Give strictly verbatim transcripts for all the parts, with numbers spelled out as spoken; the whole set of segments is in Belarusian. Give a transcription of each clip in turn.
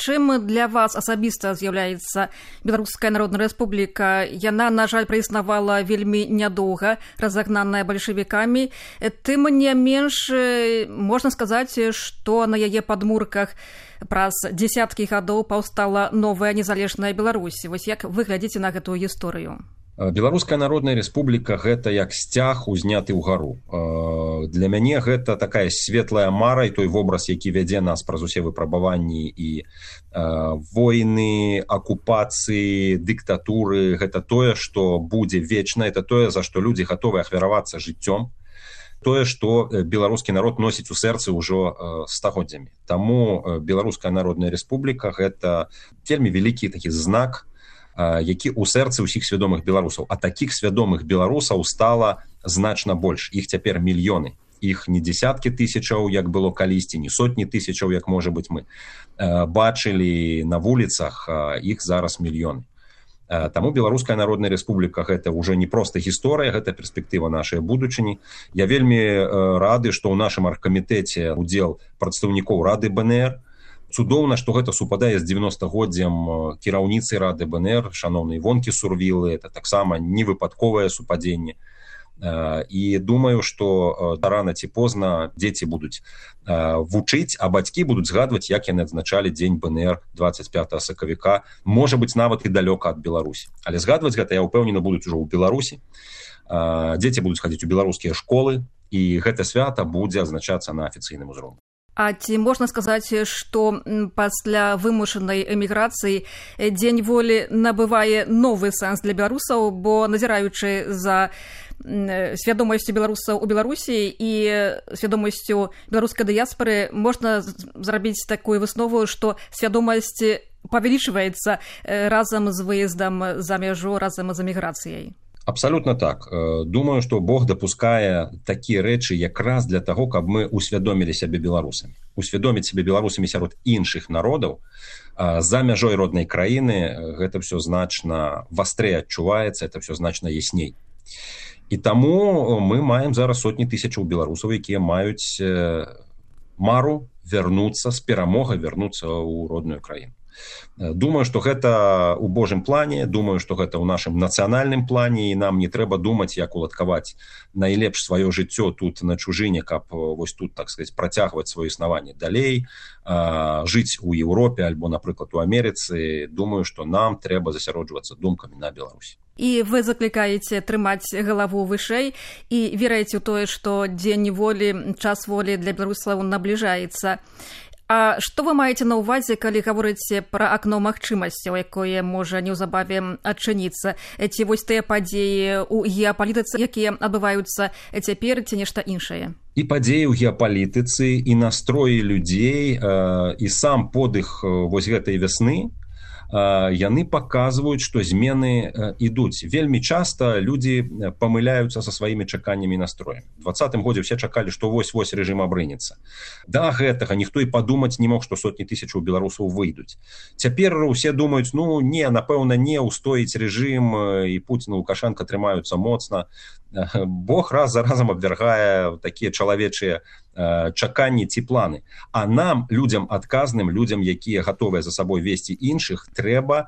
Чым для вас асабіста з'яўляецца Беларуская Народная Рэспубліка? Яна, на жаль, праіснавала вельмі нядоўга, разагнаная бальшавікамі. Тым не менш, можна сказаць, што на яе падмурках праз дзесяткі гадоў паўстала новая незалежная Беларусь. Вось як вы глядзіце на гэтую гісторыю? Беларуская Народная Рэспубліка гэта як сцяг узняты ўгару. Для мяне гэта такая светлая мара і той вобраз, які вядзе нас праз усе выпрабаванні і войны, акупацыі, дыктатуры. Гэта тое, што будзе вечна, это тое, за што людзі гатовы ахвяравацца жыццём. Тое, што беларускі народ носіць у сэрцы ўжо стагоддзямі. Таму Беларуская Народная Рэспубліка гэта вельмі вялікі такі знак, які ў сэрцы ўсіх свядомых беларусаў. А такіх свядомых беларусаў стала значна больш. Іх цяпер мільёны. Іх не дзесяткі тысячаў, як было калісьці, не сотні тысячаў, як, можа быць, мы бачылі на вуліцах, іх зараз мільёны. Таму Беларуская Народная Рэспубліка гэта ўжо не проста гісторыя, гэта перспектыва нашай будучыні. Я вельмі рады, што ў нашым аргкамітэце удзел прадстаўнікоў Рады БНР. Цудоўна, што гэта супадае з дзевяностагоддзям кіраўніцы Рады БНР, шаноўнай Івонкі Сурвілы. Это таксама невыпадковае супадзенне. І думаю, што рана ці позна дзеці будуць вучыць, а бацькі будуць згадваць, як яны адзначалі дзень БНР дваццаць пятага сакавіка, можа быць, нават і далёка ад Беларусі. Але згадваць гэта, я ўпэўнена, будуць ужо ў Беларусі. Дзеці будуць хадзіць у беларускія школы, і гэта свята будзе адзначацца на афіцыйным узроўні. А ці можна сказаць, што пасля вымушанай эміграцыі дзень волі набывае новы сэнс для беларусаў, бо назіраючы за свядомасцю беларусаў у Беларусі і свядомасцю беларускай дыяспары, можна зрабіць такую выснову, што свядомасць павялічваецца разам з выездам за мяжу, разам з эміграцыяй. Абсалютна так. Думаю, што Бог дапускае такія рэчы якраз для таго, каб мы усвядомілі сябе беларусамі. Усвядоміць сябе беларусамі сярод іншых народаў за мяжой роднай краіны, гэта ўсё значна вастрэй адчуваецца, это ўсё значна ясней. І таму мы маем зараз сотні тысячаў беларусаў, якія маюць мару вярнуцца з перамогай, вярнуцца ў родную краіну. Думаю, што гэта ў Божым плане, думаю, што гэта ў нашым нацыянальным плане, і нам не трэба думаць, як уладкаваць найлепш сваё жыццё тут на чужыне, каб вось тут, так сказаць, працягваць сваё існаванне далей, жыць у Еўропе альбо, напрыклад, у Амерыцы. Думаю, што нам трэба засяроджвацца думкамі на Беларусі. І вы заклікаеце трымаць галаву вышэй і верыце ў тое, што дзень волі, час волі для беларусаў набліжаецца. А што вы маеце на ўвазе, калі гаворыце пра акно магчымасцяў, якое можа неўзабаве адчыніцца? Ці вось тыя падзеі ў геапалітыцы, якія адбываюцца цяпер, ці нешта іншае? І падзеі ў геапалітыцы, і настроі людзей, і сам подых вось гэтай вясны, яны паказваюць, што змены ідуць. Вельмі часта людзі памыляюцца са сваімі чаканнямі і настроямі. У двадцатым годзе ўсе чакалі, што вось-вось рэжым абрынецца. Да гэтага ніхто і падумаць не мог, што сотні тысячаў беларусаў выйдуць. Цяпер усе думаюць, ну не, напэўна, не ўстоіць рэжым, і Пуцін і Лукашенка трымаюцца моцна. Бог раз за разам абвяргае такія чалавечыя чаканні ці планы. А нам, людзям адказным, людзям, якія гатовыя за сабой весці іншых, трэба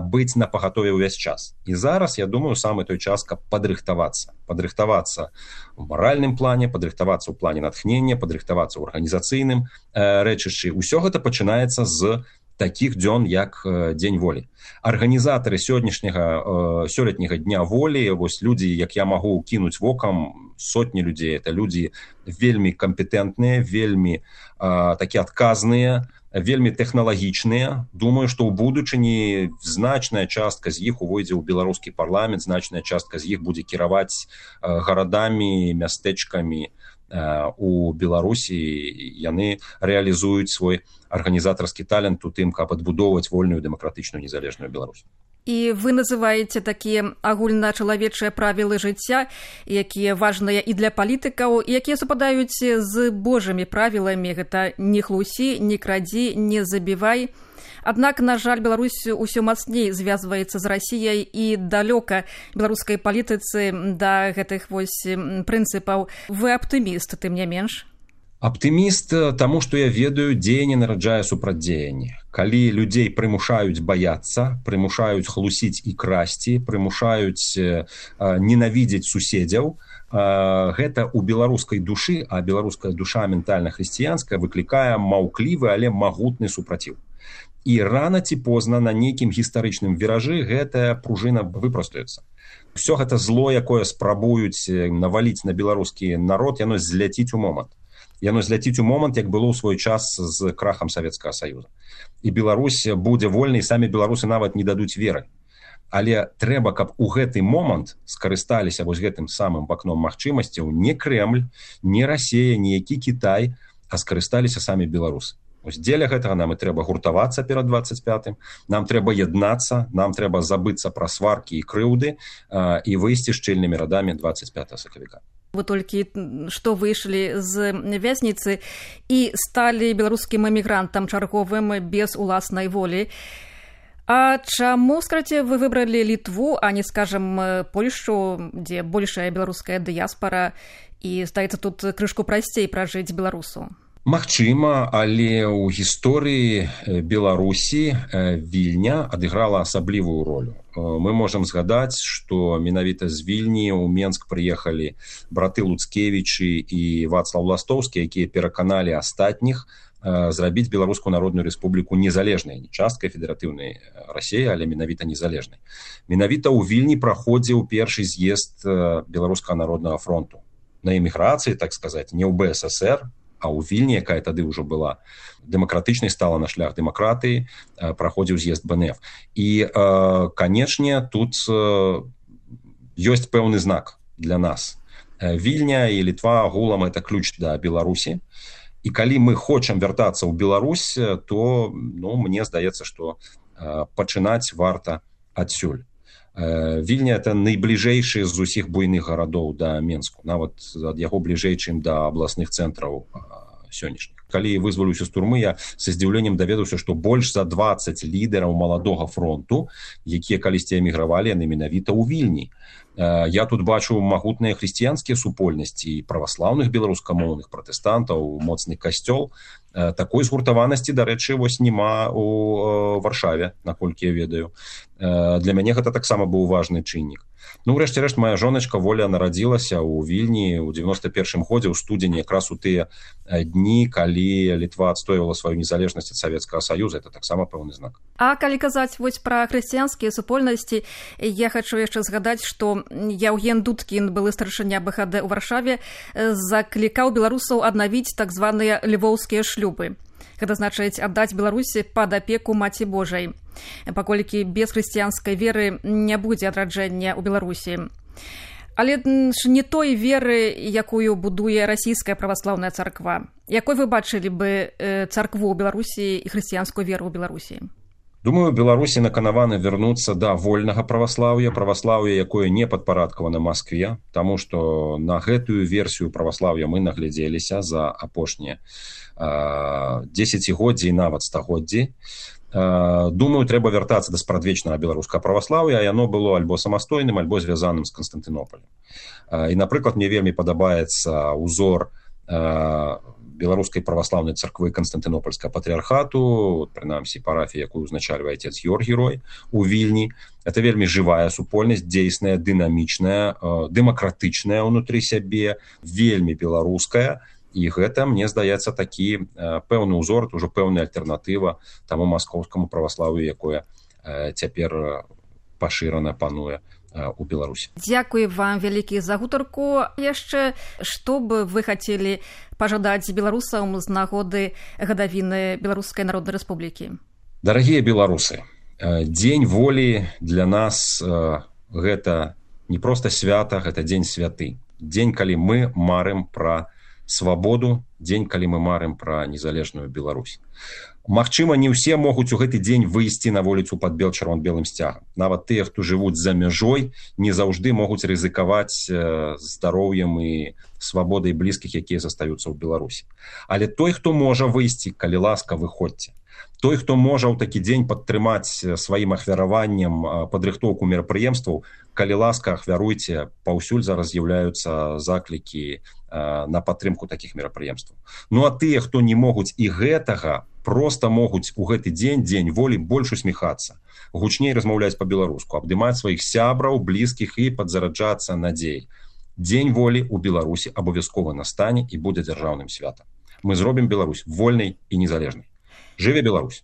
быць на пагатове ўвесь час. І зараз, я думаю, самы той час, каб падрыхтавацца. Падрыхтавацца ў маральным плане, падрыхтавацца ў плане натхнення, падрыхтавацца ў арганізацыйным рэчышчы. Усё гэта пачынаецца з такіх дзён, як дзень волі. Арганізатары сённяшняга сёлетняга дня волі, вось людзі, як я магу кінуць вокам, сотні людзей, это людзі вельмі кампетэнтныя, вельмі а, такі адказныя, вельмі тэхналагічныя. Думаю, што ў будучыні значная частка з іх увойдзе ў беларускі парламент, значная частка з іх будзе кіраваць а, гарадамі, мястэчкамі а, у Беларусі. Яны рэалізуюць свой арганізатарскі талент у тым, каб адбудоўваць вольную дэмакратычную незалежную Беларусь. І вы называеце такія агульначалавечыя правілы жыцця, якія важныя і для палітыкаў, якія супадаюць з божымі правіламі. Гэта не хлусі, не крадзі, не забівай. Аднак, на жаль, Беларусь усё мацней звязваецца з Расіяй і далёка беларускай палітыцы да гэтых вось прынцыпаў. Вы аптыміст, тым не менш? Аптыміст таму, што я ведаю, дзеянне нараджае супрацьдзеянне. Калі людзей прымушаюць баяцца, прымушаюць хлусіць і красці, прымушаюць э, ненавідзець суседзяў, э, гэта ў беларускай душы, а беларуская душа ментальна-хрысціянская выклікае маўклівы, але магутны супраціў. І рана ці позна на нейкім гістарычным віражы гэтая пружына выпрастуецца. Усё гэта зло, якое спрабуюць наваліць на беларускі народ, яно зляціць у момант. Яно зляціць у момант, як было ў свой час з крахам Савецкага Саюза. І Беларусь будзе вольнай, і самі беларусы нават не дадуць веры. Але трэба, каб у гэты момант скарысталіся вось гэтым самым вакном магчымасцяў не Крэмль, не Расія, не які Кітай, а скарысталіся самі беларусы. Ось дзеля гэтага нам і трэба гуртавацца перад дваццаць пятым, нам трэба яднацца, нам трэба забыцца пра сваркі і крыўды а, і выйсці шчыльнымі радамі дваццаць пятага сакавіка. Вы толькі што выйшлі з вязніцы і сталі беларускім эмігрантам чарговым без уласнай волі. А чаму, скажаце, вы выбралі Літву, а не, скажем, Польшчу, дзе большая беларуская дыяспара, і, здаецца, тут крышку прасцей пражыць беларусу? Магчыма, але ў гісторыі Беларусі Вільня адыграла асаблівую ролю. Мы можам згадаць, што менавіта з Вільні ў Менск прыехалі браты Луцкевічы і Вацлаў Ластоўскі, якія пераканалі астатніх зрабіць Беларускую Народную Рэспубліку незалежнай, не часткай федэратыўнай Расіі, але менавіта незалежнай. Менавіта ў Вільні праходзіў першы з'езд Беларускага народнага фронту. На эміграцыі, так сказаць, не ў Бэ Эс Эс Эр, а ў Вільні, якая тады ўжо была дэмакратычнай, стала на шлях дэмакратыі, праходзіў з'езд Бэ Эн Эф. І, канечне, тут ёсць пэўны знак для нас. Вільня і Літва агулам это ключ да Беларусі. І калі мы хочам вяртацца ў Беларусь, то, ну, мне здаецца, што пачынаць варта адсюль. Вільня это найбліжэйшы з усіх буйных гарадоў да Менску, нават ад яго бліжэй, чым да абласных цэнтраў сённяшніх. Калі вызваліўся з турмы, я са здзіўленнем даведаўся, што больш за дваццаць лідараў маладога фронту, якія калісьці эмігравалі, яны менавіта ў Вільні. Я тут бачу магутныя хрысціянскія супольнасці і праваслаўных беларускамоўных пратэстантаў, моцны касцёл. Такой згуртаванасці, дарэчы, вось няма у Варшаве, наколькі я ведаю. Для мяне гэта таксама быў важны чыннік. Ну, врэшце-рэшт, моя жоначка Воля нарадзілася ў Вільні ў дзевяноста першым годзе, ў студзені, якраз у тыя дні, калі Літва адстойвала сваю незалежнасць ад Савецкага Саюза. Это таксама пэўны знак. А калі казаць вось пра хрысціянскія супольнасці, я хачу яшчэ згадаць, што Яўген Дудкін, былы старшыня Бэ Ха Дэ ў Варшаве, заклікаў беларусаў аднавіць так званыя львоўскія шлюбы. Гэта значыць аддаць Беларусі пад апеку Маці Божай, паколькі без хрысціянскай веры не будзе адраджэння ў Беларусі. Але ж не той веры, якую будуе расійская праваслаўная царква. Якой вы бачылі бы царкву ў Беларусі і хрысціянскую веру ў Беларусі? Думаю, Беларусі наканаваны вярнуцца да вольнага праваслаўя, праваслаўя, якое не падпарадкавана Маскве, таму што на гэтую версію праваслаўя мы наглядзеліся за апошнія дзесяцігоддзі і нават стагоддзі. Думаю, трэба вяртацца да спрадвечнага беларускага праваслаўя, а яно было альбо самастойным, альбо звязаным з Канстантынополем. І, напрыклад, мне вельмі падабаецца узор беларускай праваслаўнай царквы Канстантынопольскага патрыархату, прынамсі парафія, якую узначальвае отец Георгій у Вільні. Это вельмі жывая супольнасць, дзейсная, дынамічная, дэмакратычная ўнутры сябе, вельмі беларуская. І гэта, мне здаецца, такі пэўны ўзор, ужо пэўная альтэрнатыва таму маскоўскаму праваслаўю, якое цяпер пашырана пануе у Беларусі. Дзякуй вам вялікі за гутарку. Яшчэ, што бы вы хацелі пажадаць беларусам з нагоды гадавіны Беларускай Народнай Рэспублікі? Дарагія беларусы, дзень волі для нас гэта не проста свята, гэта дзень святы. Дзень, калі мы марым пра свабоду, дзень, калі мы марым пра незалежную Беларусь. Магчыма, не ўсе могуць у гэты дзень выйсці на вуліцу пад бел-чырвон-белым сцягам. Нават тыя, хто жывуць за мяжой, не заўжды могуць рызыкаваць здароўем і свабодай блізкіх, якія застаюцца ў Беларусі. Але той, хто можа выйсці, калі ласка, выходзьце. той, хто можа ў такі дзень падтрымаць сваім ахвяраваннем падрыхтоўку мерапрыемстваў, калі ласка, ахвяруйце, паўсюль зараз з'яўляюцца заклікі на падтрымку такіх мерапрыемстваў. Ну а тыя, хто не могуць і гэтага, проста могуць у гэты дзень, дзень волі, больш усміхацца, гучней размаўляць па-беларуску, абдымаць сваіх сябраў, блізкіх і падзараджацца надзей. Дзень волі ў Беларусі абавязкова настане і будзе дзяржаўным святам. Мы зробім Беларусь вольнай і незалежнай. Жыве Беларусь!